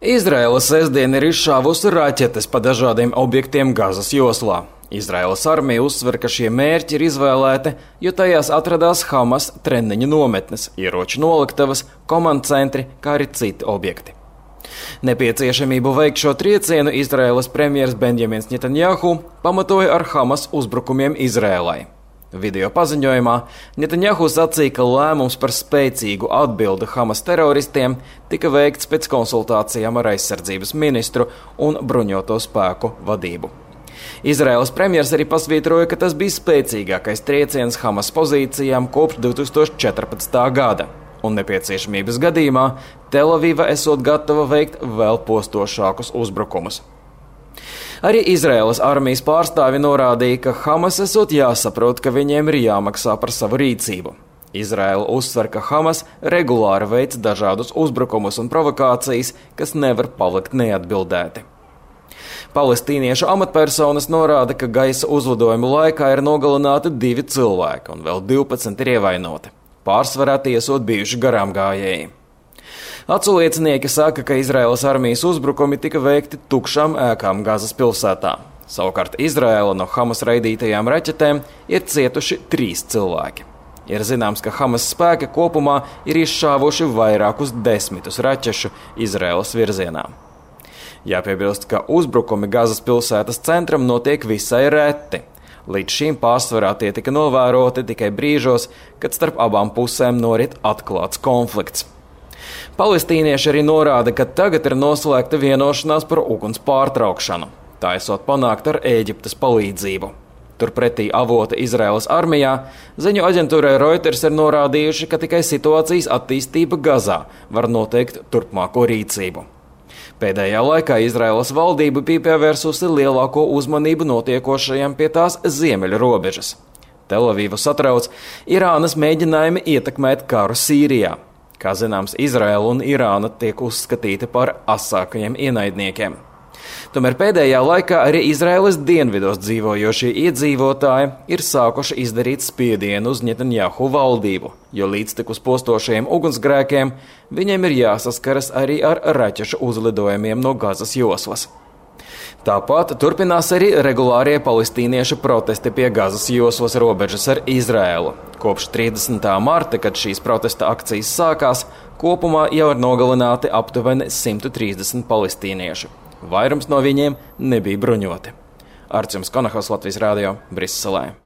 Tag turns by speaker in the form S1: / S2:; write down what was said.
S1: Izraela sestdien ir izšāvusi raķetes pa dažādiem objektiem Gazas joslā. Izraēlas armija uzsver, ka šie mērķi ir izvēlēti, jo tajās atradās Hamas treniņu nometnes, ieroču noliktavas, komandcentri, kā arī citi objekti. Nepieciešamību veikt šo triecienu Izraēlas premjers Benjamins Netanjahu pamatoja ar Hamas uzbrukumiem Izraēlai. Video paziņojumā Netanjahu sacīja, ka lēmums par spēcīgu atbildi Hamas teroristiem tika veikts pēc konsultācijām ar aizsardzības ministru un bruņoto spēku vadību. Izraēlas premjers arī pasvītroja, ka tas bija spēcīgākais trieciens Hamas pozīcijām kopš 2014. gada, un nepieciešamības gadījumā Telaviva esot gatava veikt vēl postošākus uzbrukumus. Arī Izraēlas armijas pārstāvi norādīja, ka Hamas esot jāsaprot, ka viņiem ir jāmaksā par savu rīcību. Izraēla uzsver, ka Hamas regulāri veic dažādus uzbrukumus un provokācijas, kas nevar palikt neatbildēti. Palestīniešu amatpersonas norāda, ka gaisa uzlidojumu laikā ir nogalināti 2 cilvēki un vēl 12 ir ievainoti. Pārsvarā tiesot bijuši garām gājēji. Aculiecinieki saka, ka Izraēlas armijas uzbrukumi tika veikti tukšām ēkām Gazas pilsētā. Savukārt Izraēla no Hamas raidītajām raķetēm ir cietuši 3 cilvēki. Ir zināms, ka Hamas spēki kopumā ir izšāvuši vairākus 10 raķešu Izraēlas virzienā. Jāpiebilst, ka uzbrukumi Gazas pilsētas centram notiek visai reti. Līdz šim pārsvarā tie tika novēroti tikai brīžos, kad starp abām pusēm norit atklāts konflikts. Palestīnieši arī norāda, ka tagad ir noslēgta vienošanās par uguns pārtraukšanu. Tā esot panākt ar Ēģiptes palīdzību. Turpretī avoti Izraēlas armijā ziņu aģentūrai Reuters ir norādījuši, ka tikai situācijas attīstība Gazā var noteikt turpmāko rīcību. Pēdējā laikā Izraēlas valdība bija pievērsusi lielāko uzmanību notiekošajam pie tās ziemeļu robežas. Telavivu satrauc Irānas mēģinājumi ietekmēt karu Sīrijā. Kā zināms, Izraēla un Irāna tiek uzskatīti par asākajiem ienaidniekiem. Tomēr pēdējā laikā arī Izraēlas dienvidos dzīvojošie iedzīvotāji ir sākuši izdarīt spiedienu uz Netanjahu valdību, jo līdztekus postošajiem ugunsgrēkiem viņiem ir jāsaskaras arī ar raķešu uzlidojumiem no Gazas joslas. Tāpat turpinās arī regulārie palestīniešu protesti pie Gazas joslas robežas ar Izraēlu. Kopš 30. marta, kad šīs protesta akcijas sākās, kopumā jau ir nogalināti aptuveni 130 palestīniešu. Vairums no viņiem nebija bruņoti. Arčuns Konahaus, Latvijas Rādio, Briselē.